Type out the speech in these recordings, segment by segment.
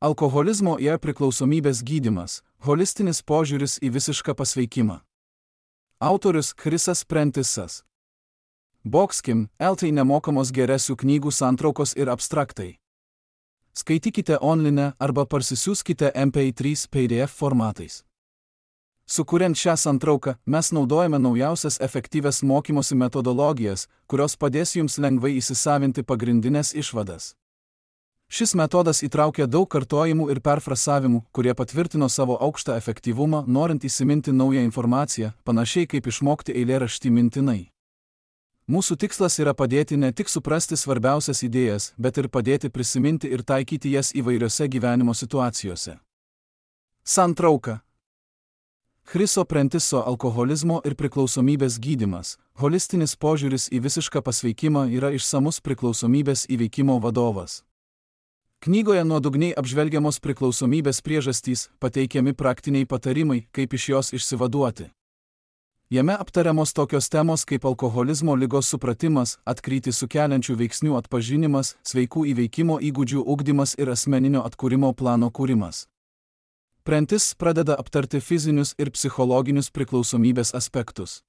Alkoholizmo ir priklausomybės gydymas – holistinis požiūris į visišką pasveikimą. Autorius Chrisas Prentisas. Boxkim, LT nemokamos geresių knygų santraukos ir abstraktai. Skaitykite online arba parsisiųskite MP3 PDF formatais. Sukuriant šią santrauką, mes naudojame naujausias efektyvias mokymosi metodologijas, kurios padės jums lengvai įsisavinti pagrindinės išvadas. Šis metodas įtraukia daug kartojimų ir perfrasavimų, kurie patvirtino savo aukštą efektyvumą, norint įsiminti naują informaciją, panašiai kaip išmokti eilėraštį mintinai. Mūsų tikslas yra padėti ne tik suprasti svarbiausias idėjas, bet ir padėti prisiminti ir taikyti jas įvairiose gyvenimo situacijose. Santrauka. Chriso Prentiso alkoholizmo ir priklausomybės gydymas – holistinis požiūris į visišką pasveikimą yra išsamus priklausomybės įveikimo vadovas. Knygoje nuodugniai apžvelgiamos priklausomybės priežastys, pateikiami praktiniai patarimai, kaip iš jos išsivaduoti. Jame aptariamos tokios temos kaip alkoholizmo ligos supratimas, atkrytį sukeliančių veiksnių atpažinimas, sveikų įveikimo įgūdžių ugdymas ir asmeninio atkūrimo plano kūrimas. Prentis pradeda aptarti fizinius ir psichologinius priklausomybės aspektus.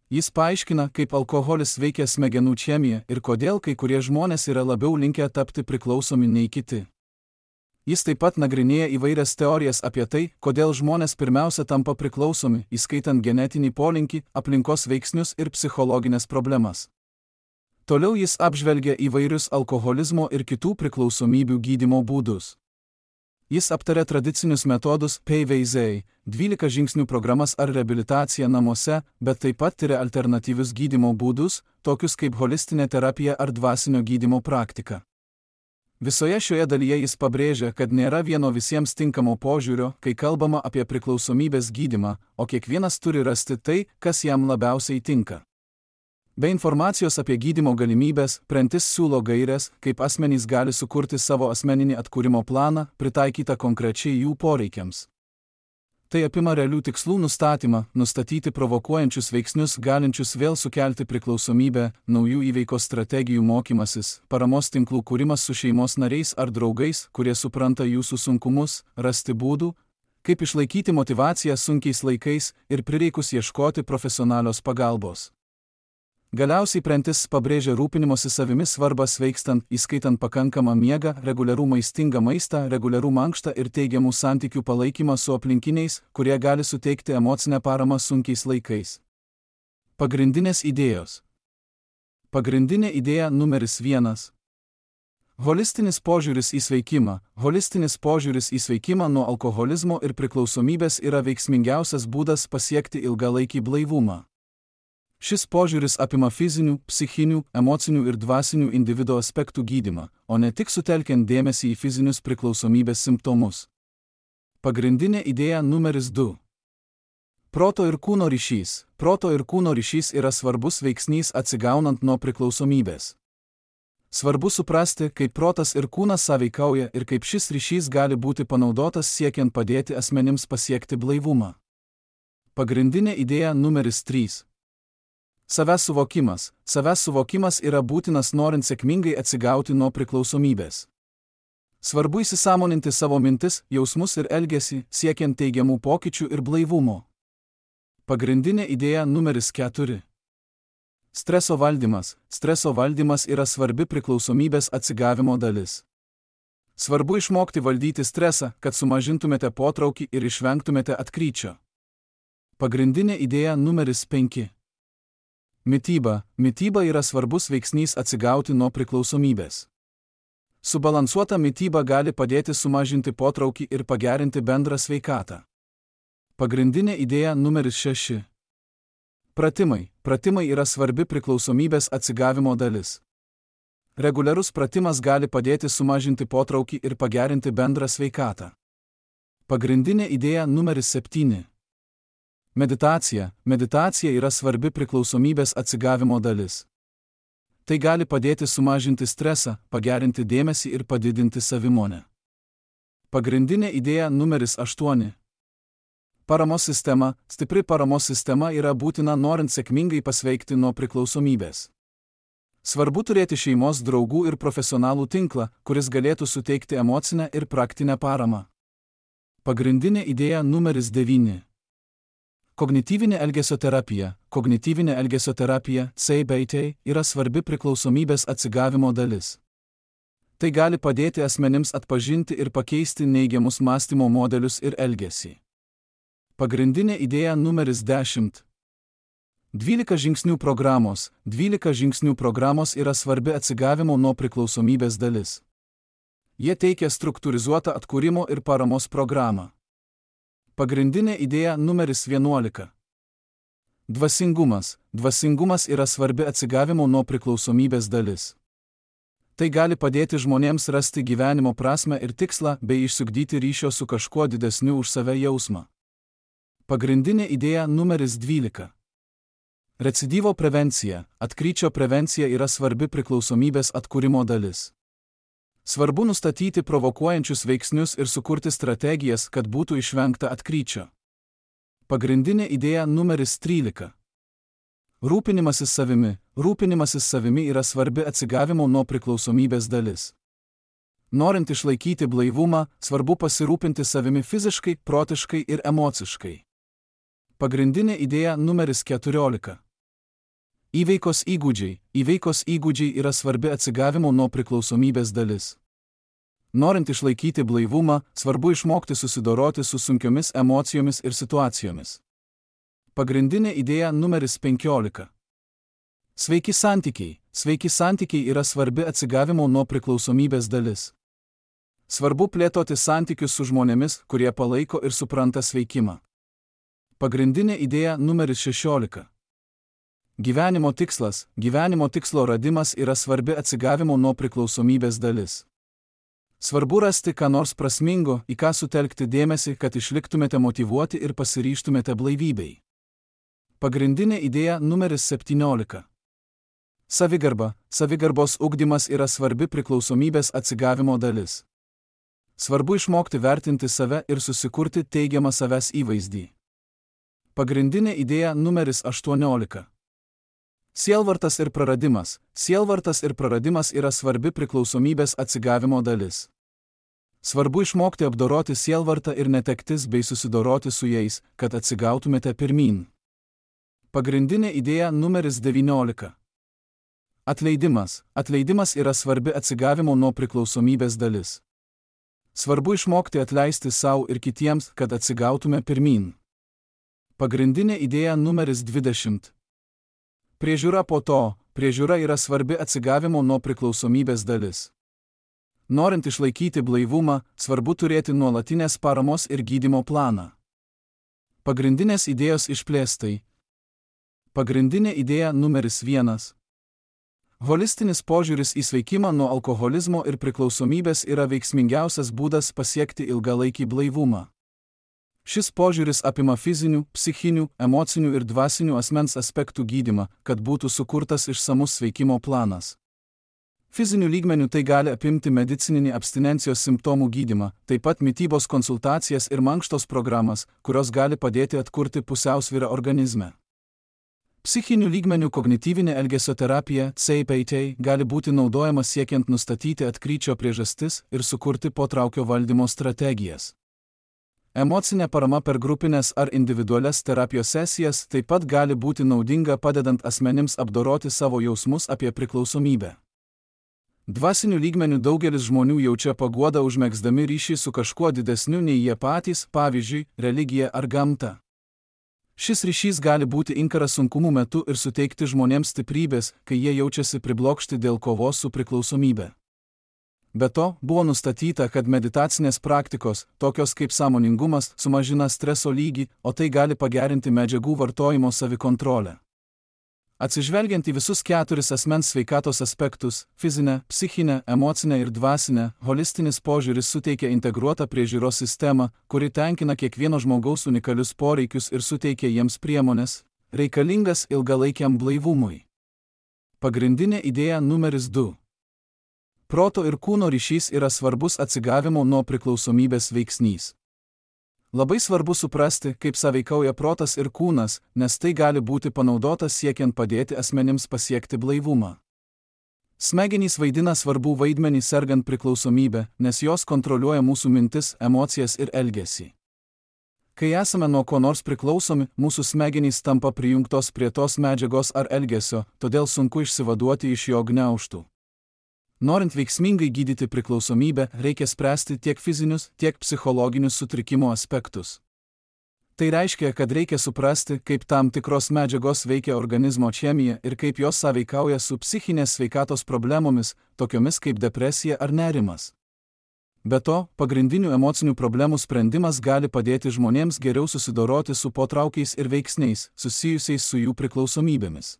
Jis paaiškina, kaip alkoholis veikia smegenų chemiją ir kodėl kai kurie žmonės yra labiau linkę tapti priklausomi nei kiti. Jis taip pat nagrinėja įvairias teorijas apie tai, kodėl žmonės pirmiausia tampa priklausomi, įskaitant genetinį polinkį, aplinkos veiksnius ir psichologinės problemas. Toliau jis apžvelgia įvairius alkoholizmo ir kitų priklausomybių gydymo būdus. Jis aptarė tradicinius metodus PVZ, 12 žingsnių programas ar reabilitaciją namuose, bet taip pat tiria alternatyvius gydymo būdus, tokius kaip holistinė terapija ar dvasinio gydymo praktika. Visoje šioje dalyje jis pabrėžia, kad nėra vieno visiems tinkamo požiūrio, kai kalbama apie priklausomybės gydymą, o kiekvienas turi rasti tai, kas jam labiausiai tinka. Be informacijos apie gydymo galimybės, Prentis siūlo gaires, kaip asmenys gali sukurti savo asmeninį atkūrimo planą, pritaikytą konkrečiai jų poreikiams. Tai apima realių tikslų nustatymą, nustatyti provokuojančius veiksnius galinčius vėl sukelti priklausomybę, naujų įveikos strategijų mokymasis, paramos tinklų kūrimas su šeimos nariais ar draugais, kurie supranta jūsų sunkumus, rasti būdų, kaip išlaikyti motyvaciją sunkiais laikais ir prireikus ieškoti profesionalios pagalbos. Galiausiai Prentis pabrėžia rūpinimosi savimi svarbą sveikstant, įskaitant pakankamą miegą, reguliarų maistingą maistą, reguliarų mankštą ir teigiamų santykių palaikymą su aplinkiniais, kurie gali suteikti emocinę paramą sunkiais laikais. Pagrindinės idėjos. Pagrindinė idėja numeris 1. Holistinis požiūris į sveikimą. Holistinis požiūris į sveikimą nuo alkoholizmo ir priklausomybės yra veiksmingiausias būdas pasiekti ilgalaikį blaivumą. Šis požiūris apima fizinių, psichinių, emocinių ir dvasinių individo aspektų gydymą, o ne tik sutelkiant dėmesį į fizinius priklausomybės simptomus. Pagrindinė idėja numeris 2. Proto ir kūno ryšys. Proto ir kūno ryšys yra svarbus veiksnys atsigaunant nuo priklausomybės. Svarbu suprasti, kaip protas ir kūnas sąveikauja ir kaip šis ryšys gali būti panaudotas siekiant padėti asmenims pasiekti blaivumą. Pagrindinė idėja numeris 3. Savęs suvokimas. Savęs suvokimas yra būtinas norint sėkmingai atsigauti nuo priklausomybės. Svarbu įsisąmoninti savo mintis, jausmus ir elgesį, siekiant teigiamų pokyčių ir blaivumo. Pagrindinė idėja numeris 4. Streso valdymas. Streso valdymas yra svarbi priklausomybės atsigavimo dalis. Svarbu išmokti valdyti stresą, kad sumažintumėte potraukį ir išvengtumėte atkryčio. Pagrindinė idėja numeris 5. Mityba. Mityba yra svarbus veiksnys atsigauti nuo priklausomybės. Subalansuota mityba gali padėti sumažinti potraukį ir pagerinti bendrą sveikatą. Pagrindinė idėja numeris 6. Pratimai. Pratimai yra svarbi priklausomybės atsigavimo dalis. Reguliarus pratimas gali padėti sumažinti potraukį ir pagerinti bendrą sveikatą. Pagrindinė idėja numeris 7. Meditacija. Meditacija yra svarbi priklausomybės atsigavimo dalis. Tai gali padėti sumažinti stresą, pagerinti dėmesį ir padidinti savimonę. Pagrindinė idėja numeris 8. Paramos sistema. Stipri paramos sistema yra būtina norint sėkmingai pasveikti nuo priklausomybės. Svarbu turėti šeimos draugų ir profesionalų tinklą, kuris galėtų suteikti emocinę ir praktinę paramą. Pagrindinė idėja numeris 9. Kognityvinė elgesio terapija. Kognityvinė elgesio terapija, CBT, yra svarbi priklausomybės atsigavimo dalis. Tai gali padėti asmenims atpažinti ir pakeisti neigiamus mąstymo modelius ir elgesį. Pagrindinė idėja numeris 10. 12 žingsnių programos. 12 žingsnių programos yra svarbi atsigavimo nuo priklausomybės dalis. Jie teikia struktūrizuotą atkūrimo ir paramos programą. Pagrindinė idėja numeris 11. Dvasingumas. Dvasingumas yra svarbi atsigavimo nuo priklausomybės dalis. Tai gali padėti žmonėms rasti gyvenimo prasmę ir tikslą bei išsiugdyti ryšio su kažkuo didesniu už save jausmą. Pagrindinė idėja numeris 12. Recidyvo prevencija. Atkryčio prevencija yra svarbi priklausomybės atkūrimo dalis. Svarbu nustatyti provokuojančius veiksnius ir sukurti strategijas, kad būtų išvengta atkryčio. Pagrindinė idėja numeris 13. Rūpinimasis savimi. Rūpinimasis savimi yra svarbi atsigavimo nuo priklausomybės dalis. Norint išlaikyti blaivumą, svarbu pasirūpinti savimi fiziškai, protiškai ir emociškai. Pagrindinė idėja numeris 14. Įveikos įgūdžiai. Įveikos įgūdžiai yra svarbi atsigavimo nuo priklausomybės dalis. Norint išlaikyti blaivumą, svarbu išmokti susidoroti su sunkiomis emocijomis ir situacijomis. Pagrindinė idėja numeris 15. Sveiki santykiai. Sveiki santykiai yra svarbi atsigavimo nuo priklausomybės dalis. Svarbu plėtoti santykius su žmonėmis, kurie palaiko ir supranta sveikimą. Pagrindinė idėja numeris 16. Gyvenimo tikslas. Gyvenimo tikslo radimas yra svarbi atsigavimo nuo priklausomybės dalis. Svarbu rasti ką nors prasmingo, į ką sutelkti dėmesį, kad išliktumėte motyvuoti ir pasiryžtumėte blaivybei. Pagrindinė idėja numeris 17. Savigarba. Savigarbos ugdymas yra svarbi priklausomybės atsigavimo dalis. Svarbu išmokti vertinti save ir susikurti teigiamą savęs įvaizdį. Pagrindinė idėja numeris 18. Sielvartas ir praradimas. Sielvartas ir praradimas yra svarbi priklausomybės atsigavimo dalis. Svarbu išmokti apdoroti sielvartą ir netektis bei susidoroti su jais, kad atsigautumėte pirmyn. Pagrindinė idėja numeris 19. Atleidimas. Atleidimas yra svarbi atsigavimo nuo priklausomybės dalis. Svarbu išmokti atleisti savo ir kitiems, kad atsigautume pirmyn. Pagrindinė idėja numeris 20. Priežiūra po to. Priežiūra yra svarbi atsigavimo nuo priklausomybės dalis. Norint išlaikyti blaivumą, svarbu turėti nuolatinės paramos ir gydymo planą. Pagrindinės idėjos išplėstai. Pagrindinė idėja numeris 1. Holistinis požiūris į sveikimą nuo alkoholizmo ir priklausomybės yra veiksmingiausias būdas pasiekti ilgalaikį blaivumą. Šis požiūris apima fizinių, psichinių, emocinių ir dvasinių asmens aspektų gydymą, kad būtų sukurtas išsamus sveikimo planas. Fizinių lygmenių tai gali apimti medicininį abstinencijos simptomų gydymą, taip pat mitybos konsultacijas ir mankštos programas, kurios gali padėti atkurti pusiausvyrą organizme. Psichinių lygmenių kognityvinė elgesio terapija, CBT, gali būti naudojama siekiant nustatyti atkryčio priežastis ir sukurti potraukio valdymo strategijas. Emocinė parama per grupinės ar individualias terapijos sesijas taip pat gali būti naudinga padedant asmenims apdoroti savo jausmus apie priklausomybę. Dvasinių lygmenių daugelis žmonių jaučia paguodą užmegzdami ryšį su kažkuo didesniu nei jie patys, pavyzdžiui, religija ar gamta. Šis ryšys gali būti inkaras sunkumų metu ir suteikti žmonėms stiprybės, kai jie jaučiasi priblokšti dėl kovos su priklausomybe. Be to, buvo nustatyta, kad meditacinės praktikos, tokios kaip sąmoningumas, sumažina streso lygį, o tai gali pagerinti medžiagų vartojimo savikontrolę. Atsižvelgiant į visus 4 asmens sveikatos aspektus – fizinę, psichinę, emocinę ir dvasinę, holistinis požiūris suteikia integruotą priežiūros sistemą, kuri tenkina kiekvieno žmogaus unikalius poreikius ir suteikia jiems priemones, reikalingas ilgalaikiam blaivumui. Pagrindinė idėja numeris 2. Proto ir kūno ryšys yra svarbus atsigavimo nuo priklausomybės veiksnys. Labai svarbu suprasti, kaip sąveikauja protas ir kūnas, nes tai gali būti panaudotas siekiant padėti asmenims pasiekti blaivumą. Smegenys vaidina svarbų vaidmenį sergant priklausomybę, nes jos kontroliuoja mūsų mintis, emocijas ir elgesį. Kai esame nuo ko nors priklausomi, mūsų smegenys tampa prijungtos prie tos medžiagos ar elgesio, todėl sunku išsivaduoti iš jo gniaužtų. Norint veiksmingai gydyti priklausomybę, reikia spręsti tiek fizinius, tiek psichologinius sutrikimo aspektus. Tai reiškia, kad reikia suprasti, kaip tam tikros medžiagos veikia organizmo chemiją ir kaip jos sąveikauja su psichinės sveikatos problemomis, tokiomis kaip depresija ar nerimas. Be to, pagrindinių emocinių problemų sprendimas gali padėti žmonėms geriau susidoroti su potraukiais ir veiksniais, susijusiais su jų priklausomybėmis.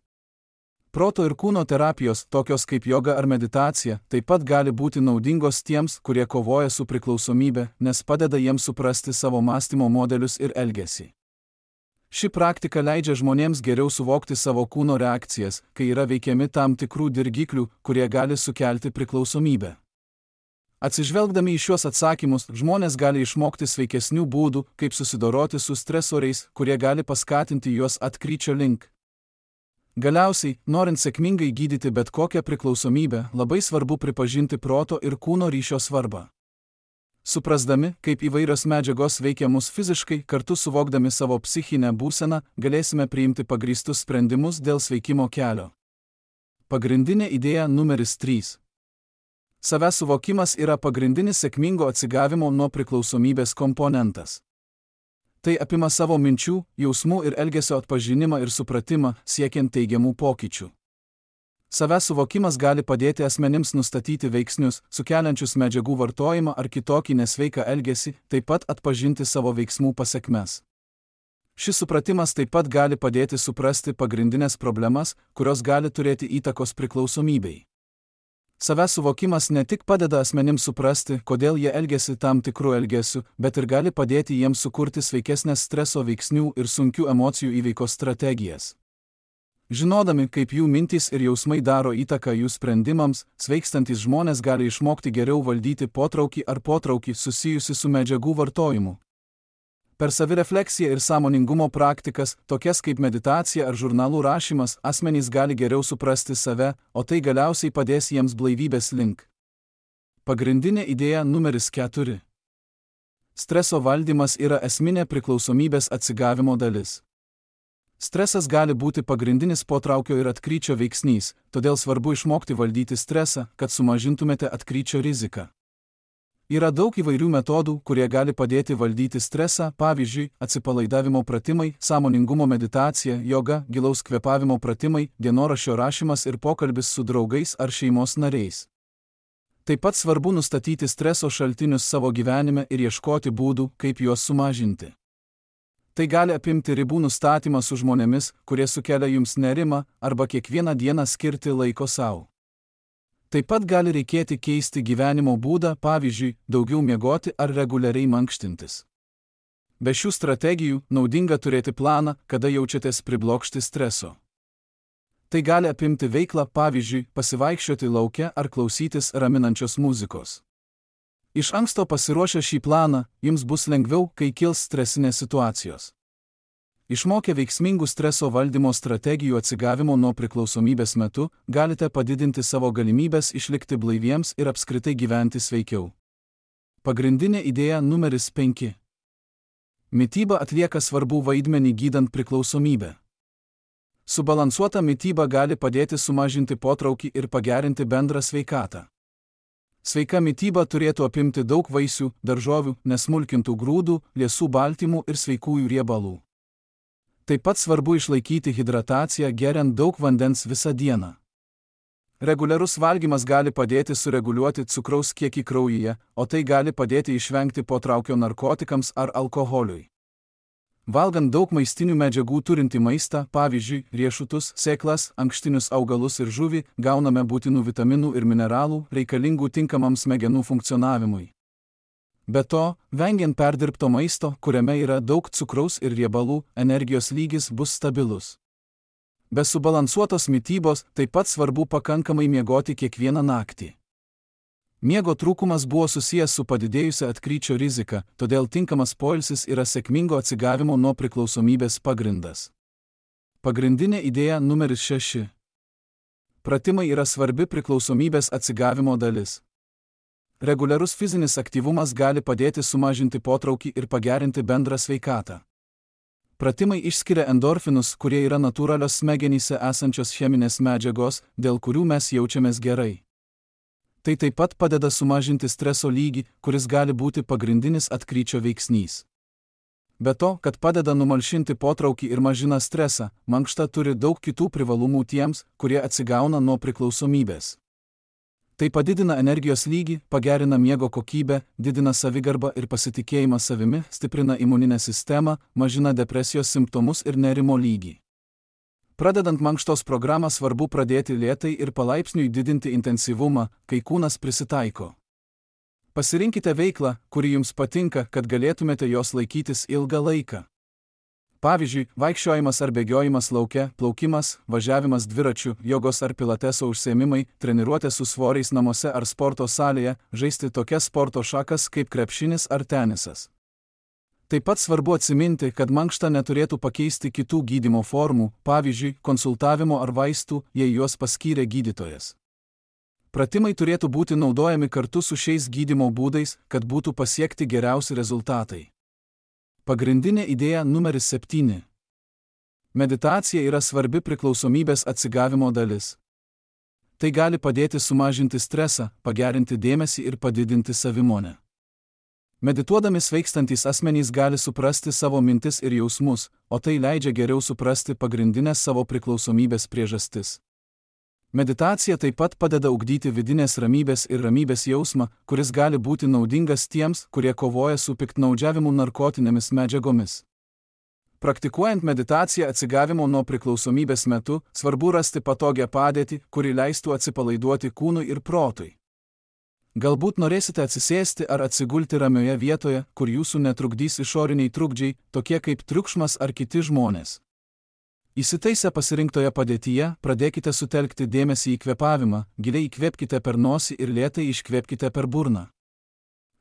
Proto ir kūno terapijos, tokios kaip joga ar meditacija, taip pat gali būti naudingos tiems, kurie kovoja su priklausomybė, nes padeda jiems suprasti savo mąstymo modelius ir elgesį. Ši praktika leidžia žmonėms geriau suvokti savo kūno reakcijas, kai yra veikiami tam tikrų dirgiklių, kurie gali sukelti priklausomybę. Atsižvelgdami į šiuos atsakymus, žmonės gali išmokti sveikesnių būdų, kaip susidoroti su stresoriais, kurie gali paskatinti juos atkryčio link. Galiausiai, norint sėkmingai gydyti bet kokią priklausomybę, labai svarbu pripažinti proto ir kūno ryšio svarbą. Suprasdami, kaip įvairios medžiagos veikia mus fiziškai, kartu suvokdami savo psichinę būseną, galėsime priimti pagrįstus sprendimus dėl sveikimo kelio. Pagrindinė idėja numeris 3. Savęs suvokimas yra pagrindinis sėkmingo atsigavimo nuo priklausomybės komponentas. Tai apima savo minčių, jausmų ir elgesio atpažinimą ir supratimą, siekiant teigiamų pokyčių. Savęs suvokimas gali padėti asmenims nustatyti veiksnius, sukeliančius medžiagų vartojimą ar kitokį nesveiką elgesį, taip pat atpažinti savo veiksmų pasekmes. Šis supratimas taip pat gali padėti suprasti pagrindinės problemas, kurios gali turėti įtakos priklausomybei. Savęs suvokimas ne tik padeda asmenims suprasti, kodėl jie elgiasi tam tikrų elgesių, bet ir gali padėti jiems sukurti sveikesnės streso veiksnių ir sunkių emocijų įveikos strategijas. Žinodami, kaip jų mintys ir jausmai daro įtaką jų sprendimams, sveikstantys žmonės gali išmokti geriau valdyti potraukį ar potraukį susijusi su medžiagų vartojimu. Per savirefleksiją ir sąmoningumo praktikas, tokias kaip meditacija ar žurnalų rašymas, asmenys gali geriau suprasti save, o tai galiausiai padės jiems blaivybės link. Pagrindinė idėja numeris 4. Streso valdymas yra esminė priklausomybės atsigavimo dalis. Stresas gali būti pagrindinis potraukio ir atkryčio veiksnys, todėl svarbu išmokti valdyti stresą, kad sumažintumėte atkryčio riziką. Yra daug įvairių metodų, kurie gali padėti valdyti stresą, pavyzdžiui, atsipalaidavimo pratimai, sąmoningumo meditacija, joga, gilaus kvėpavimo pratimai, dienoraščio rašymas ir pokalbis su draugais ar šeimos nariais. Taip pat svarbu nustatyti streso šaltinius savo gyvenime ir ieškoti būdų, kaip juos sumažinti. Tai gali apimti ribų nustatymą su žmonėmis, kurie sukelia jums nerimą, arba kiekvieną dieną skirti laiko sau. Taip pat gali reikėti keisti gyvenimo būdą, pavyzdžiui, daugiau miegoti ar reguliariai mankštintis. Be šių strategijų, naudinga turėti planą, kada jaučiatės priblokšti streso. Tai gali apimti veiklą, pavyzdžiui, pasivaikščioti lauke ar klausytis raminančios muzikos. Iš anksto pasiruošę šį planą, jums bus lengviau, kai kils stresinės situacijos. Išmokę veiksmingų streso valdymo strategijų atsigavimo nuo priklausomybės metu, galite padidinti savo galimybės išlikti blaiviems ir apskritai gyventi sveikiau. Pagrindinė idėja numeris 5. Mityba atlieka svarbų vaidmenį gydant priklausomybę. Subalansuota mityba gali padėti sumažinti potraukį ir pagerinti bendrą sveikatą. Sveika mityba turėtų apimti daug vaisių, daržovių, nesmulkintų grūdų, liesų baltymų ir sveikųjų riebalų. Taip pat svarbu išlaikyti hidrataciją, geriant daug vandens visą dieną. Reguliarus valgymas gali padėti sureguliuoti cukraus kiekį kraujyje, o tai gali padėti išvengti potraukio narkotikams ar alkoholiui. Valgant daug maistinių medžiagų turintį maistą, pavyzdžiui, riešutus, sėklas, ankštinius augalus ir žuvį, gauname būtinų vitaminų ir mineralų, reikalingų tinkamam smegenų funkcionavimui. Be to, vengiant perdirbto maisto, kuriame yra daug cukraus ir riebalų, energijos lygis bus stabilus. Be subalansuotos mitybos taip pat svarbu pakankamai miegoti kiekvieną naktį. Miego trūkumas buvo susijęs su padidėjusia atkryčio rizika, todėl tinkamas poilsis yra sėkmingo atsigavimo nuo priklausomybės pagrindas. Pagrindinė idėja numeris 6. Pratimai yra svarbi priklausomybės atsigavimo dalis. Reguliarus fizinis aktyvumas gali padėti sumažinti potraukį ir pagerinti bendrą sveikatą. Pratimai išskiria endorfinus, kurie yra natūralios smegenyse esančios cheminės medžiagos, dėl kurių mes jaučiamės gerai. Tai taip pat padeda sumažinti streso lygį, kuris gali būti pagrindinis atkryčio veiksnys. Be to, kad padeda numalšinti potraukį ir mažina stresą, mankšta turi daug kitų privalumų tiems, kurie atsigauna nuo priklausomybės. Tai padidina energijos lygį, pagerina miego kokybę, didina savigarbą ir pasitikėjimą savimi, stiprina imuninę sistemą, mažina depresijos simptomus ir nerimo lygį. Pradedant mankštos programą svarbu pradėti lėtai ir palaipsniui didinti intensyvumą, kai kūnas prisitaiko. Pasirinkite veiklą, kuri jums patinka, kad galėtumėte jos laikytis ilgą laiką. Pavyzdžiui, vaikščiojimas ar bėgiojimas lauke, plaukimas, važiavimas dviračiu, jogos ar pilateso užsiėmimai, treniruotės su svoriais namuose ar sporto salėje, žaisti tokias sporto šakas kaip krepšinis ar tenisas. Taip pat svarbu atsiminti, kad mankšta neturėtų pakeisti kitų gydymo formų, pavyzdžiui, konsultavimo ar vaistų, jei juos paskyrė gydytojas. Pratimai turėtų būti naudojami kartu su šiais gydymo būdais, kad būtų pasiekti geriausi rezultatai. Pagrindinė idėja numeris 7. Meditacija yra svarbi priklausomybės atsigavimo dalis. Tai gali padėti sumažinti stresą, pagerinti dėmesį ir padidinti savimonę. Medituodami sveikstantys asmenys gali suprasti savo mintis ir jausmus, o tai leidžia geriau suprasti pagrindinės savo priklausomybės priežastis. Meditacija taip pat padeda ugdyti vidinės ramybės ir ramybės jausmą, kuris gali būti naudingas tiems, kurie kovoja su piktnaudžiavimu narkotinėmis medžiagomis. Praktikuojant meditaciją atsigavimo nuo priklausomybės metu, svarbu rasti patogią padėtį, kuri leistų atsipalaiduoti kūnui ir protui. Galbūt norėsite atsisėsti ar atsigulti ramioje vietoje, kur jūsų netrukdys išoriniai trukdžiai, tokie kaip triukšmas ar kiti žmonės. Įsitaisę pasirinktoje padėtyje, pradėkite sutelkti dėmesį į kvėpavimą, giliai įkvėpkite per nosį ir lėtai iškvėpkite per burną.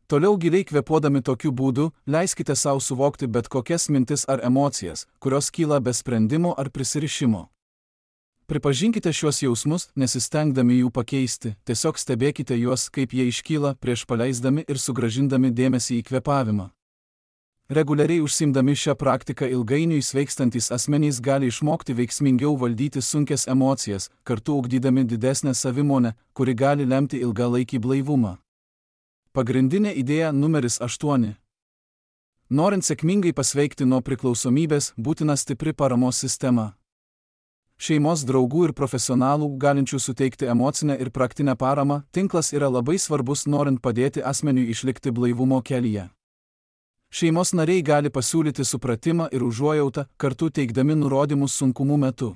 Toliau giliai kvėpuodami tokiu būdu, leiskite savo suvokti bet kokias mintis ar emocijas, kurios kyla be sprendimo ar prisirišimo. Pripažinkite šiuos jausmus, nesistengdami jų pakeisti, tiesiog stebėkite juos, kaip jie iškyla, prieš paleisdami ir sugrąžindami dėmesį į kvėpavimą. Reguliariai užsiimdami šią praktiką ilgainiui sveikstantys asmenys gali išmokti veiksmingiau valdyti sunkias emocijas, kartu ugdydami didesnę savimonę, kuri gali lemti ilgalaikį blaivumą. Pagrindinė idėja numeris 8. Norint sėkmingai pasveikti nuo priklausomybės, būtina stipri paramos sistema. Šeimos, draugų ir profesionalų, galinčių suteikti emocinę ir praktinę paramą, tinklas yra labai svarbus norint padėti asmeniui išlikti blaivumo kelyje. Šeimos nariai gali pasiūlyti supratimą ir užuojautą, kartu teikdami nurodymus sunkumų metu.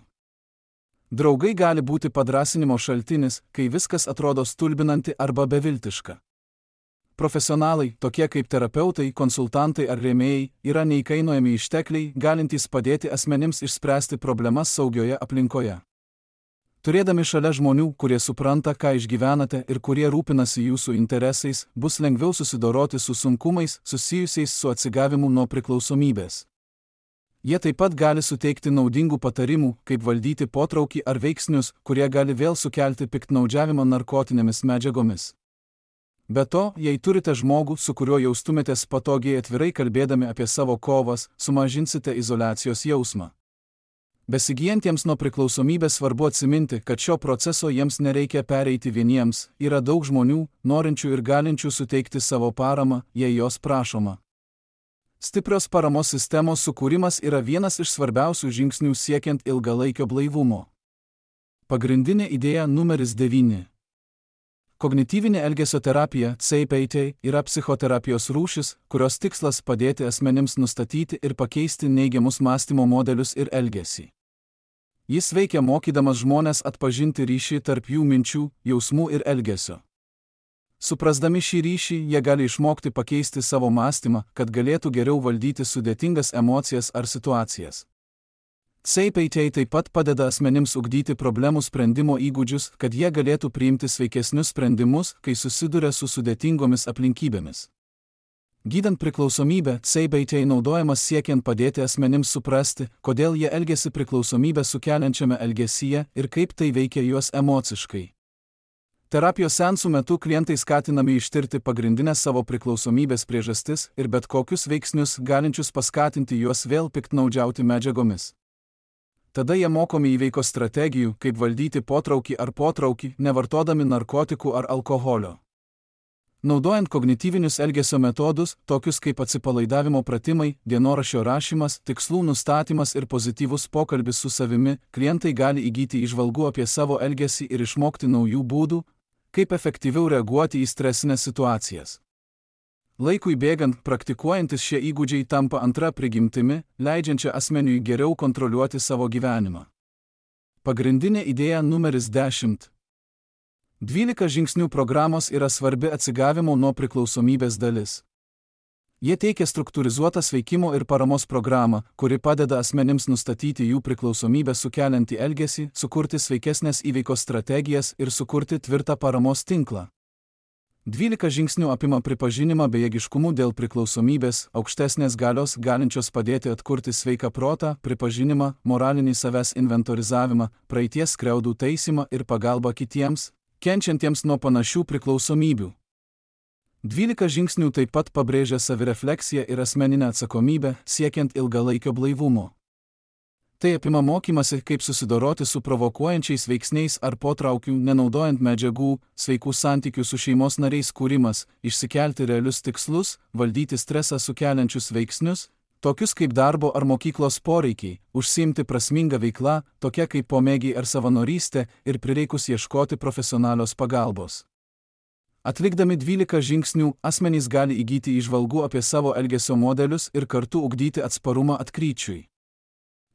Draugai gali būti padrąsinimo šaltinis, kai viskas atrodo stulbinanti arba beviltiška. Profesionalai, tokie kaip terapeutai, konsultantai ar rėmėjai, yra neįkainojami ištekliai, galintys padėti asmenims išspręsti problemas saugioje aplinkoje. Turėdami šalia žmonių, kurie supranta, ką išgyvenate ir kurie rūpinasi jūsų interesais, bus lengviau susidoroti su sunkumais susijusiais su atsigavimu nuo priklausomybės. Jie taip pat gali suteikti naudingų patarimų, kaip valdyti potraukį ar veiksnius, kurie gali vėl sukelti piktnaudžiavimą narkotinėmis medžiagomis. Be to, jei turite žmogų, su kuriuo jaustumėtės patogiai atvirai kalbėdami apie savo kovas, sumažinsite izoliacijos jausmą. Besigijantiems nuo priklausomybės svarbu atsiminti, kad šio proceso jiems nereikia pereiti vieniems, yra daug žmonių, norinčių ir galinčių suteikti savo paramą, jei jos prašoma. Stiprios paramos sistemos sukūrimas yra vienas iš svarbiausių žingsnių siekiant ilgalaikio blaivumo. Pagrindinė idėja numeris 9. Kognityvinė elgesio terapija, CBT, yra psichoterapijos rūšis, kurios tikslas padėti asmenims nustatyti ir pakeisti neigiamus mąstymo modelius ir elgesį. Jis veikia mokydamas žmones atpažinti ryšį tarp jų minčių, jausmų ir elgesio. Suprasdami šį ryšį, jie gali išmokti pakeisti savo mąstymą, kad galėtų geriau valdyti sudėtingas emocijas ar situacijas. CBT taip pat padeda asmenims ugdyti problemų sprendimo įgūdžius, kad jie galėtų priimti sveikesnius sprendimus, kai susiduria su sudėtingomis aplinkybėmis. Gydant priklausomybę, CBT naudojamas siekiant padėti asmenims suprasti, kodėl jie elgiasi priklausomybę sukeliančiame elgesyje ir kaip tai veikia juos emociškai. Terapijos seansų metu klientai skatinami ištirti pagrindinės savo priklausomybės priežastis ir bet kokius veiksnius galinčius paskatinti juos vėl piktnaudžiauti medžiagomis. Tada jie mokomi įveikos strategijų, kaip valdyti potraukį ar potraukį, nevartodami narkotikų ar alkoholio. Naudojant kognityvinius elgesio metodus, tokius kaip atsipalaidavimo pratimai, dienoraščio rašymas, tikslų nustatymas ir pozityvus pokalbis su savimi, klientai gali įgyti įžvalgų apie savo elgesį ir išmokti naujų būdų, kaip efektyviau reaguoti į stresinės situacijas. Laikui bėgant, praktikuojantis šie įgūdžiai tampa antra prigimtimi, leidžiančia asmeniui geriau kontroliuoti savo gyvenimą. Pagrindinė idėja numeris 10. 12 žingsnių programos yra svarbi atsigavimo nuo priklausomybės dalis. Jie teikia struktūrizuotą sveikimo ir paramos programą, kuri padeda asmenims nustatyti jų priklausomybę sukeliantį elgesį, sukurti sveikesnės įveikos strategijas ir sukurti tvirtą paramos tinklą. 12 žingsnių apima pripažinimą bejėgiškumu dėl priklausomybės, aukštesnės galios galinčios padėti atkurti sveiką protą, pripažinimą, moralinį savęs inventorizavimą, praeities skriaudų taisymą ir pagalbą kitiems, kenčiantiems nuo panašių priklausomybių. 12 žingsnių taip pat pabrėžia savirefleksiją ir asmeninę atsakomybę, siekiant ilgalaikio blaivumo. Tai apima mokymasi, kaip susidoroti su provokuojančiais veiksniais ar potraukių, nenaudojant medžiagų, sveikų santykių su šeimos nariais kūrimas, išsikelti realius tikslus, valdyti stresą sukeliančius veiksnius, tokius kaip darbo ar mokyklos poreikiai, užsiimti prasmingą veiklą, tokia kaip pomėgiai ar savanorystė ir prireikus ieškoti profesionalios pagalbos. Atlikdami 12 žingsnių, asmenys gali įgyti įžvalgų apie savo elgesio modelius ir kartu ugdyti atsparumą atkryčiui.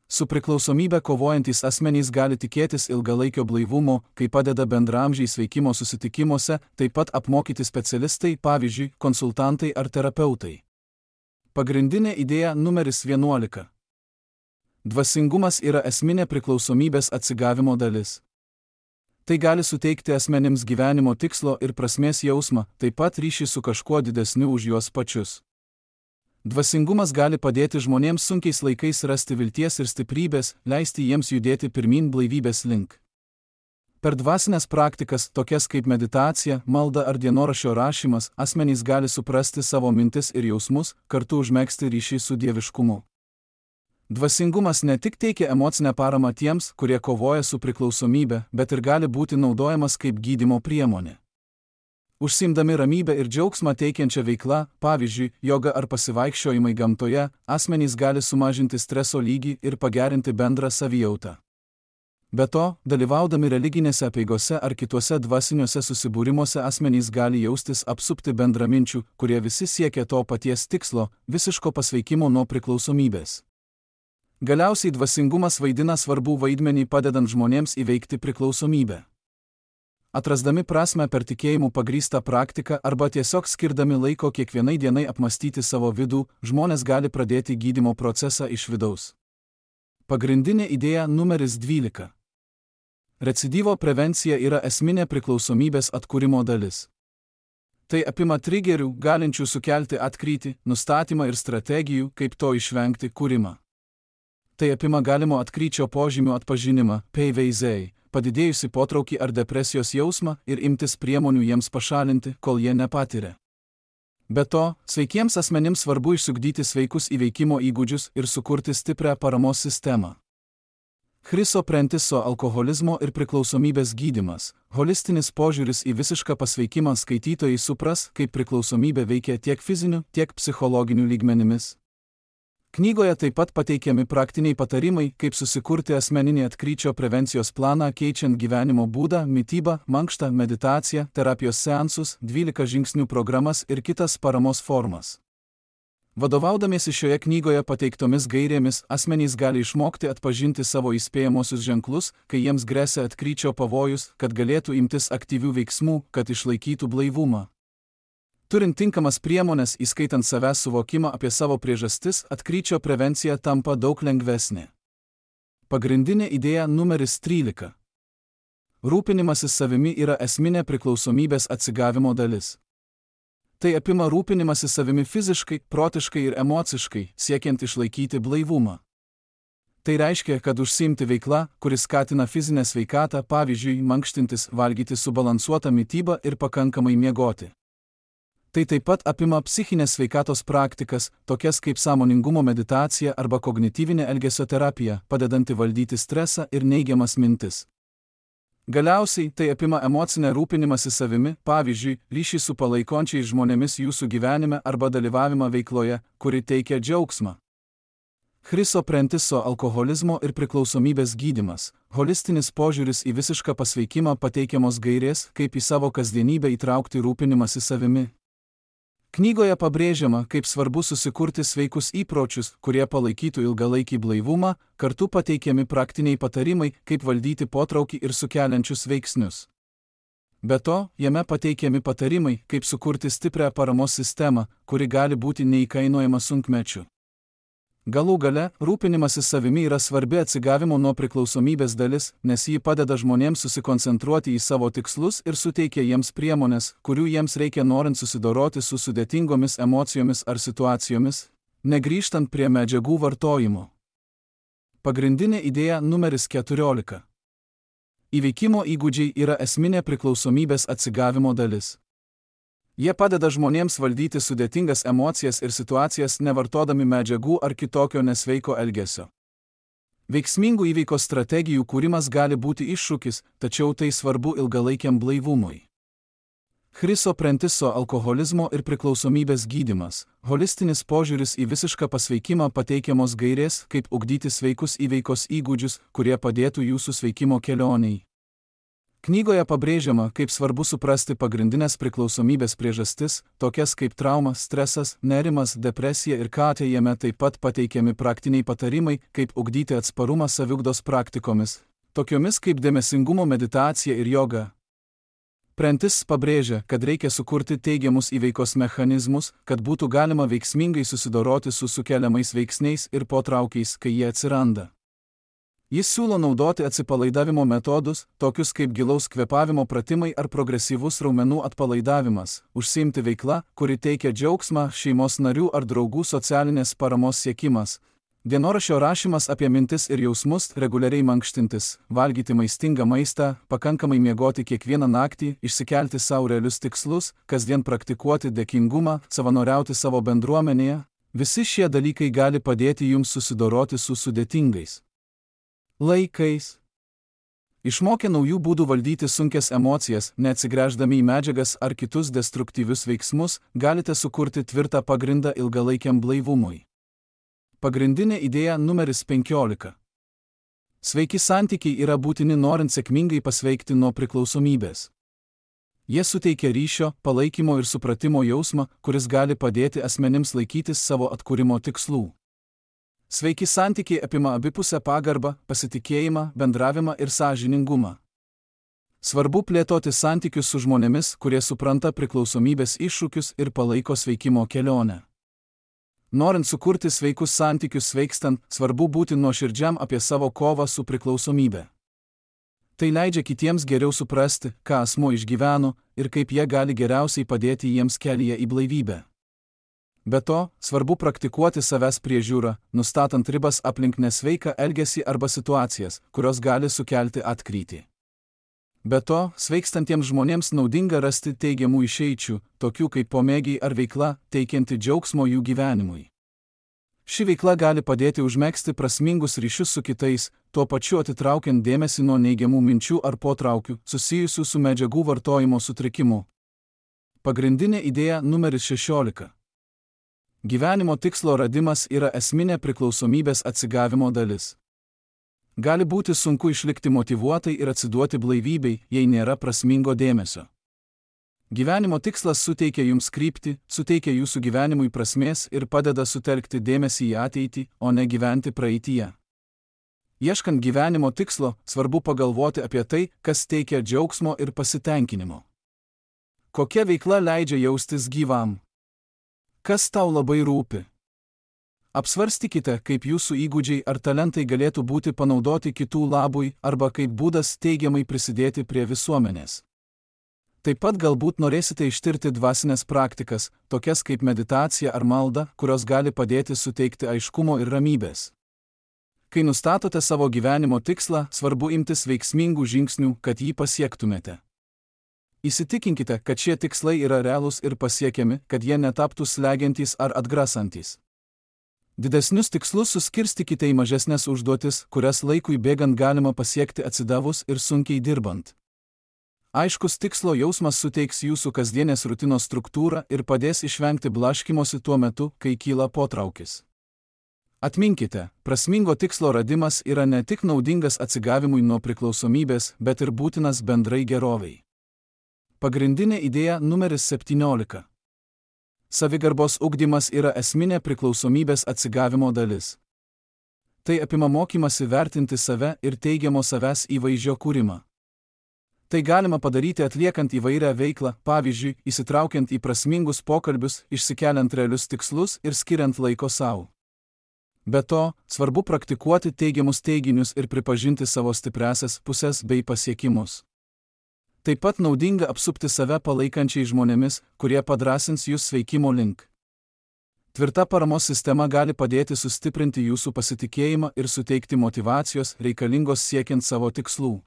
Su priklausomybe kovojantys asmenys gali tikėtis ilgalaikio blaivumo, kai padeda bendramžiai sveikimo susitikimuose, taip pat apmokyti specialistai, pavyzdžiui, konsultantai ar terapeutai. Pagrindinė idėja numeris 11. Dvasingumas yra esminė priklausomybės atsigavimo dalis. Tai gali suteikti asmenims gyvenimo tikslo ir prasmės jausmą, taip pat ryšį su kažkuo didesniu už juos pačius. Dvasingumas gali padėti žmonėms sunkiais laikais rasti vilties ir stiprybės, leisti jiems judėti pirmyn blaivybės link. Per dvasinės praktikas, tokias kaip meditacija, malda ar dienoraščio rašymas, asmenys gali suprasti savo mintis ir jausmus, kartu užmegzti ryšį su dieviškumu. Dvasingumas ne tik teikia emocinę paramą tiems, kurie kovoja su priklausomybe, bet ir gali būti naudojamas kaip gydymo priemonė. Užsiimdami ramybę ir džiaugsmą teikiančią veiklą, pavyzdžiui, joga ar pasivaikščiojimai gamtoje, asmenys gali sumažinti streso lygį ir pagerinti bendrą savijautą. Be to, dalyvaudami religinėse apeigose ar kituose dvasiniuose susibūrimuose asmenys gali jaustis apsupti bendraminčių, kurie visi siekia to paties tikslo – visiško pasveikimo nuo priklausomybės. Galiausiai dvasingumas vaidina svarbų vaidmenį padedant žmonėms įveikti priklausomybę. Atrasdami prasmę per tikėjimų pagrįstą praktiką arba tiesiog skirdami laiko kiekvienai dienai apmastyti savo vidų, žmonės gali pradėti gydymo procesą iš vidaus. Pagrindinė idėja numeris 12. Recidyvo prevencija yra esminė priklausomybės atkūrimo dalis. Tai apima trigerių, galinčių sukelti atkrytį, nustatymą ir strategijų, kaip to išvengti, kūrimą. Tai apima galimo atkryčio požymių atpažinimą, PVZ, padidėjusi potraukį ar depresijos jausmą ir imtis priemonių jiems pašalinti, kol jie nepatiria. Be to, sveikiems asmenims svarbu išsiugdyti sveikus įveikimo įgūdžius ir sukurti stiprią paramos sistemą. Chriso Prentiso alkoholizmo ir priklausomybės gydymas, holistinis požiūris į visišką pasveikimą skaitytojai supras, kaip priklausomybė veikia tiek fiziniu, tiek psichologiniu lygmenimis. Knygoje taip pat pateikiami praktiniai patarimai, kaip susikurti asmeninį atkryčio prevencijos planą keičiant gyvenimo būdą, mitybą, mankštą, meditaciją, terapijos seansus, 12 žingsnių programas ir kitas paramos formas. Vadovaudamiesi šioje knygoje pateiktomis gairėmis, asmenys gali išmokti atpažinti savo įspėjamosius ženklus, kai jiems gresia atkryčio pavojus, kad galėtų imtis aktyvių veiksmų, kad išlaikytų blaivumą. Turint tinkamas priemones, įskaitant savęs suvokimą apie savo priežastis, atkryčio prevencija tampa daug lengvesnė. Pagrindinė idėja numeris 13. Rūpinimasis savimi yra esminė priklausomybės atsigavimo dalis. Tai apima rūpinimąsi savimi fiziškai, protiškai ir emociškai, siekiant išlaikyti blaivumą. Tai reiškia, kad užsiimti veikla, kuris skatina fizinę sveikatą, pavyzdžiui, mankštintis, valgyti subalansuotą mitybą ir pakankamai miegoti. Tai taip pat apima psichinės sveikatos praktikas, tokias kaip sąmoningumo meditacija arba kognityvinė elgesio terapija, padedanti valdyti stresą ir neigiamas mintis. Galiausiai tai apima emocinę rūpinimąsi savimi, pavyzdžiui, ryšį su palaikančiais žmonėmis jūsų gyvenime arba dalyvavimą veikloje, kuri teikia džiaugsmą. Chriso Prentiso alkoholizmo ir priklausomybės gydymas, holistinis požiūris į visišką pasveikimą, pateikiamos gairės, kaip į savo kasdienybę įtraukti rūpinimąsi savimi. Knygoje pabrėžiama, kaip svarbu susikurti sveikus įpročius, kurie palaikytų ilgalaikį blaivumą, kartu pateikiami praktiniai patarimai, kaip valdyti potraukį ir sukeliančius veiksnius. Be to, jame pateikiami patarimai, kaip sukurti stiprią paramos sistemą, kuri gali būti neįkainojama sunkmečiu. Galų gale, rūpinimasis savimi yra svarbi atsigavimo nuo priklausomybės dalis, nes ji padeda žmonėms susikoncentruoti į savo tikslus ir suteikia jiems priemonės, kurių jiems reikia norint susidoroti su sudėtingomis emocijomis ar situacijomis, negrįžtant prie medžiagų vartojimo. Pagrindinė idėja numeris 14. Įveikimo įgūdžiai yra esminė priklausomybės atsigavimo dalis. Jie padeda žmonėms valdyti sudėtingas emocijas ir situacijas nevartodami medžiagų ar kitokio nesveiko elgesio. Veiksmingų įveikos strategijų kūrimas gali būti iššūkis, tačiau tai svarbu ilgalaikiam blaivumui. Chriso Prentiso alkoholizmo ir priklausomybės gydymas, holistinis požiūris į visišką pasveikimą, pateikiamos gairės, kaip ugdyti sveikus įveikos įgūdžius, kurie padėtų jūsų sveikimo kelionei. Knygoje pabrėžiama, kaip svarbu suprasti pagrindinės priklausomybės priežastis, tokias kaip trauma, stresas, nerimas, depresija ir KT. Jame taip pat pateikiami praktiniai patarimai, kaip ugdyti atsparumą saviugdos praktikomis, tokiomis kaip dėmesingumo meditacija ir joga. Prentis pabrėžia, kad reikia sukurti teigiamus įveikos mechanizmus, kad būtų galima veiksmingai susidoroti su sukeliamais veiksniais ir potraukiais, kai jie atsiranda. Jis siūlo naudoti atsipalaidavimo metodus, tokius kaip gilaus kvėpavimo pratimai ar progresyvus raumenų atpalaidavimas, užsiimti veikla, kuri teikia džiaugsmą, šeimos narių ar draugų socialinės paramos siekimas, dienoraščio rašymas apie mintis ir jausmus, reguliariai mankštintis, valgyti maistingą maistą, pakankamai miegoti kiekvieną naktį, išsikelti savo realius tikslus, kasdien praktikuoti dėkingumą, savanoriauti savo bendruomenėje. Visi šie dalykai gali padėti jums susidoroti su sudėtingais laikais. Išmokę naujų būdų valdyti sunkias emocijas, neatsigręždami į medžiagas ar kitus destruktyvius veiksmus, galite sukurti tvirtą pagrindą ilgalaikiam blaivumui. Pagrindinė idėja numeris 15. Sveiki santykiai yra būtini norint sėkmingai pasveikti nuo priklausomybės. Jie suteikia ryšio, palaikymo ir supratimo jausmą, kuris gali padėti asmenims laikytis savo atkūrimo tikslų. Sveiki santykiai apima abipusę pagarbą, pasitikėjimą, bendravimą ir sąžiningumą. Svarbu plėtoti santykius su žmonėmis, kurie supranta priklausomybės iššūkius ir palaiko sveikimo kelionę. Norint sukurti sveikus santykius sveikstant, svarbu būti nuoširdžiam apie savo kovą su priklausomybe. Tai leidžia kitiems geriau suprasti, ką asmuo išgyveno ir kaip jie gali geriausiai padėti jiems kelyje į blaivybę. Be to, svarbu praktikuoti savęs priežiūrą, nustatant ribas aplink nesveiką elgesį arba situacijas, kurios gali sukelti atkrytį. Be to, sveikstantiems žmonėms naudinga rasti teigiamų išeičių, tokių kaip pomėgiai ar veikla, teikianti džiaugsmo jų gyvenimui. Ši veikla gali padėti užmegzti prasmingus ryšius su kitais, tuo pačiu atitraukiant dėmesį nuo neigiamų minčių ar potraukių, susijusių su medžiagų vartojimo sutrikimu. Pagrindinė idėja numeris 16. Gyvenimo tikslo radimas yra esminė priklausomybės atsigavimo dalis. Gali būti sunku išlikti motyvuotai ir atsiduoti blaivybei, jei nėra prasmingo dėmesio. Gyvenimo tikslas suteikia jums kryptį, suteikia jūsų gyvenimui prasmės ir padeda sutelkti dėmesį į ateitį, o ne gyventi praeityje. Ieškant gyvenimo tikslo, svarbu pagalvoti apie tai, kas teikia džiaugsmo ir pasitenkinimo. Kokia veikla leidžia jaustis gyvam? Kas tau labai rūpi? Apsvarstykite, kaip jūsų įgūdžiai ar talentai galėtų būti panaudoti kitų labui arba kaip būdas teigiamai prisidėti prie visuomenės. Taip pat galbūt norėsite ištirti dvasinės praktikas, tokias kaip meditacija ar malda, kurios gali padėti suteikti aiškumo ir ramybės. Kai nustatote savo gyvenimo tikslą, svarbu imtis veiksmingų žingsnių, kad jį pasiektumėte. Įsitikinkite, kad šie tikslai yra realūs ir pasiekiami, kad jie netaptų slegiantys ar atgrasantys. Didesnius tikslus suskirstykite į mažesnės užduotis, kurias laikui bėgant galima pasiekti atsidavus ir sunkiai dirbant. Aiškus tikslo jausmas suteiks jūsų kasdienės rutinos struktūrą ir padės išvengti blaškymosi tuo metu, kai kyla potraukis. Atminkite, prasmingo tikslo radimas yra ne tik naudingas atsigavimui nuo priklausomybės, bet ir būtinas bendrai gerovei. Pagrindinė idėja numeris 17. Savigarbos ugdymas yra esminė priklausomybės atsigavimo dalis. Tai apima mokymasi vertinti save ir teigiamo savęs įvaizdžio kūrimą. Tai galima padaryti atliekant įvairią veiklą, pavyzdžiui, įsitraukiant į prasmingus pokalbius, išsikeliant realius tikslus ir skiriant laiko savo. Be to, svarbu praktikuoti teigiamus teiginius ir pripažinti savo stipriąsias puses bei pasiekimus. Taip pat naudinga apsupti save palaikančiai žmonėmis, kurie padrąsins jūs sveikimo link. Tvirta paramos sistema gali padėti sustiprinti jūsų pasitikėjimą ir suteikti motyvacijos reikalingos siekiant savo tikslų.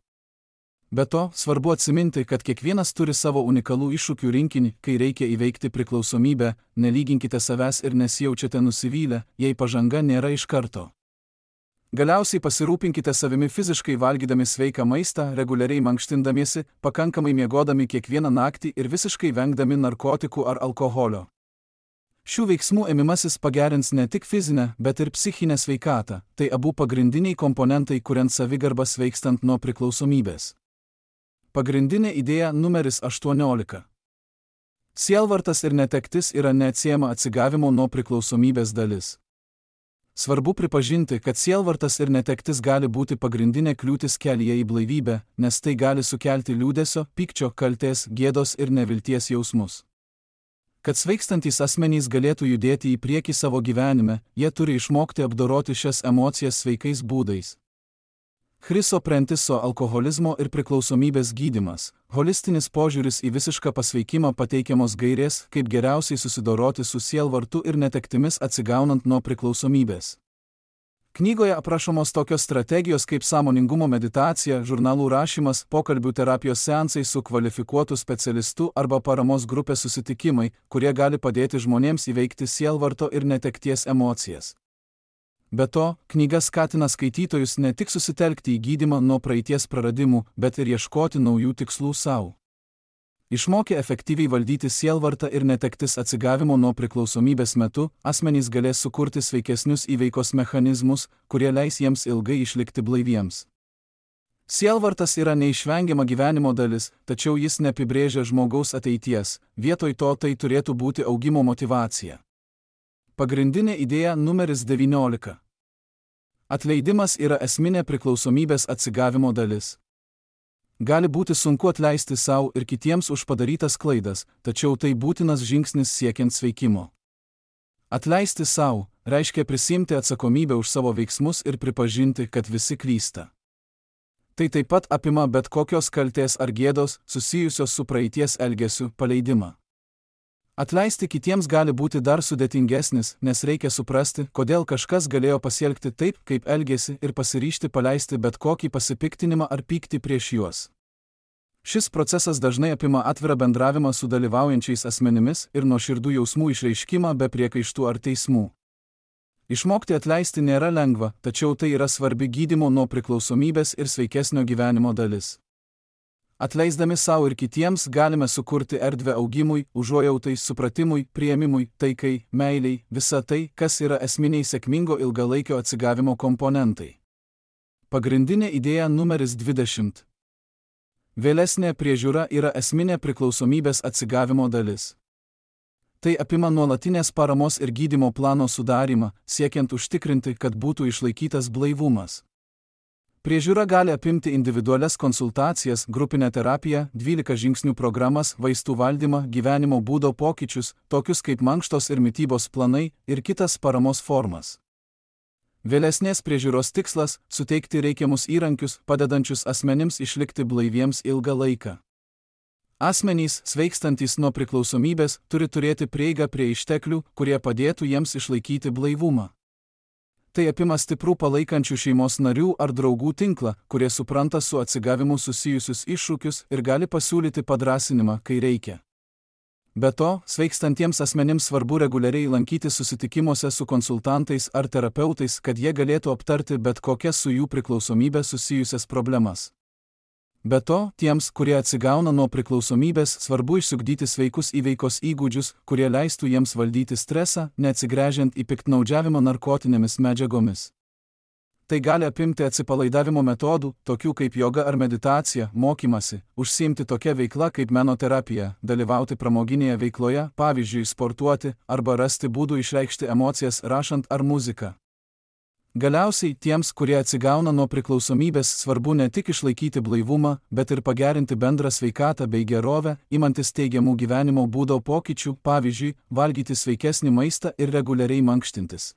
Be to, svarbu atsiminti, kad kiekvienas turi savo unikalų iššūkių rinkinį, kai reikia įveikti priklausomybę, nelyginkite savęs ir nesijaučiate nusivylę, jei pažanga nėra iš karto. Galiausiai pasirūpinkite savimi fiziškai valgydami sveiką maistą, reguliariai mankštindamiesi, pakankamai miegodami kiekvieną naktį ir visiškai vengdami narkotikų ar alkoholio. Šių veiksmų ėmimasis pagerins ne tik fizinę, bet ir psichinę sveikatą, tai abu pagrindiniai komponentai, kuriant savigarbą sveikstant nuo priklausomybės. Pagrindinė idėja numeris 18. Sielvartas ir netektis yra neatsiejama atsigavimo nuo priklausomybės dalis. Svarbu pripažinti, kad sielvartas ir netektis gali būti pagrindinė kliūtis kelyje į blaivybę, nes tai gali sukelti liūdesio, pykčio, kaltės, gėdos ir nevilties jausmus. Kad sveikstantys asmenys galėtų judėti į priekį savo gyvenime, jie turi išmokti apdoroti šias emocijas sveikais būdais. Chriso Prentiso alkoholizmo ir priklausomybės gydymas, holistinis požiūris į visišką pasveikimą pateikiamos gairės, kaip geriausiai susidoroti su sielvartu ir netektimis atsigaunant nuo priklausomybės. Knygoje aprašomos tokios strategijos kaip sąmoningumo meditacija, žurnalų rašymas, pokalbių terapijos seansai su kvalifikuotu specialistu arba paramos grupės susitikimai, kurie gali padėti žmonėms įveikti sielvarto ir netekties emocijas. Be to, knyga skatina skaitytojus ne tik susitelkti į gydymą nuo praeities praradimų, bet ir ieškoti naujų tikslų savo. Išmokę efektyviai valdyti sielvartą ir netektis atsigavimo nuo priklausomybės metu, asmenys galės sukurti sveikesnius įveikos mechanizmus, kurie leis jiems ilgai išlikti blaiviems. Sielvartas yra neišvengiama gyvenimo dalis, tačiau jis neapibrėžia žmogaus ateities, vietoj to tai turėtų būti augimo motyvacija. Pagrindinė idėja numeris 19. Atleidimas yra esminė priklausomybės atsigavimo dalis. Gali būti sunku atleisti savo ir kitiems už padarytas klaidas, tačiau tai būtinas žingsnis siekiant sveikimo. Atleisti savo reiškia prisiimti atsakomybę už savo veiksmus ir pripažinti, kad visi klysta. Tai taip pat apima bet kokios kaltės ar gėdos susijusios su praeities elgesiu paleidimą. Atleisti kitiems gali būti dar sudėtingesnis, nes reikia suprasti, kodėl kažkas galėjo pasielgti taip, kaip elgėsi ir pasiryžti paleisti bet kokį pasipiktinimą ar pyktį prieš juos. Šis procesas dažnai apima atvirą bendravimą su dalyvaujančiais asmenimis ir nuoširdų jausmų išreiškimą be priekaištų ar teismų. Išmokti atleisti nėra lengva, tačiau tai yra svarbi gydymo nuo priklausomybės ir sveikesnio gyvenimo dalis. Atleisdami savo ir kitiems galime sukurti erdvę augimui, užuojautai, supratimui, priėmimui, taikai, meiliai, visa tai, kas yra esminiai sėkmingo ilgalaikio atsigavimo komponentai. Pagrindinė idėja numeris 20. Vėlesnė priežiūra yra esminė priklausomybės atsigavimo dalis. Tai apima nuolatinės paramos ir gydymo plano sudarymą, siekiant užtikrinti, kad būtų išlaikytas blaivumas. Priežiūra gali apimti individualias konsultacijas, grupinę terapiją, 12 žingsnių programas, vaistų valdymą, gyvenimo būdo pokyčius, tokius kaip mankštos ir mitybos planai ir kitas paramos formas. Vėlesnės priežiūros tikslas – suteikti reikiamus įrankius, padedančius asmenims išlikti blaiviems ilgą laiką. Asmenys, sveikstantys nuo priklausomybės, turi turėti prieigą prie išteklių, kurie padėtų jiems išlaikyti blaivumą. Tai apima stiprų palaikančių šeimos narių ar draugų tinklą, kurie supranta su atsigavimu susijusius iššūkius ir gali pasiūlyti padrąsinimą, kai reikia. Be to, sveikstantiems asmenims svarbu reguliariai lankytis susitikimuose su konsultantais ar terapeutais, kad jie galėtų aptarti bet kokias su jų priklausomybė susijusias problemas. Be to, tiems, kurie atsigauna nuo priklausomybės, svarbu išsiugdyti sveikus įveikos įgūdžius, kurie leistų jiems valdyti stresą, neatsigręžiant į piktnaudžiavimą narkotinėmis medžiagomis. Tai gali apimti atsipalaidavimo metodų, tokių kaip joga ar meditacija, mokymasi, užsiimti tokia veikla kaip menoterapija, dalyvauti pramoginėje veikloje, pavyzdžiui, sportuoti, arba rasti būdų išreikšti emocijas rašant ar muziką. Galiausiai tiems, kurie atsigauna nuo priklausomybės, svarbu ne tik išlaikyti blaivumą, bet ir pagerinti bendrą sveikatą bei gerovę, imantis teigiamų gyvenimo būdo pokyčių, pavyzdžiui, valgyti sveikesnį maistą ir reguliariai mankštintis.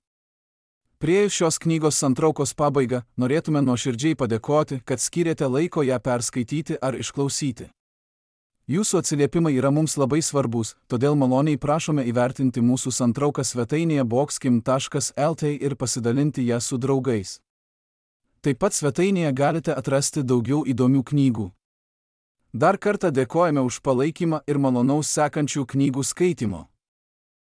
Priėjus šios knygos santraukos pabaigą, norėtume nuoširdžiai padėkoti, kad skyrėte laiko ją perskaityti ar išklausyti. Jūsų atsiliepimai yra mums labai svarbus, todėl maloniai prašome įvertinti mūsų santrauką svetainėje boxkim.lt ir pasidalinti ją su draugais. Taip pat svetainėje galite atrasti daugiau įdomių knygų. Dar kartą dėkojame už palaikymą ir malonaus sekančių knygų skaitimo.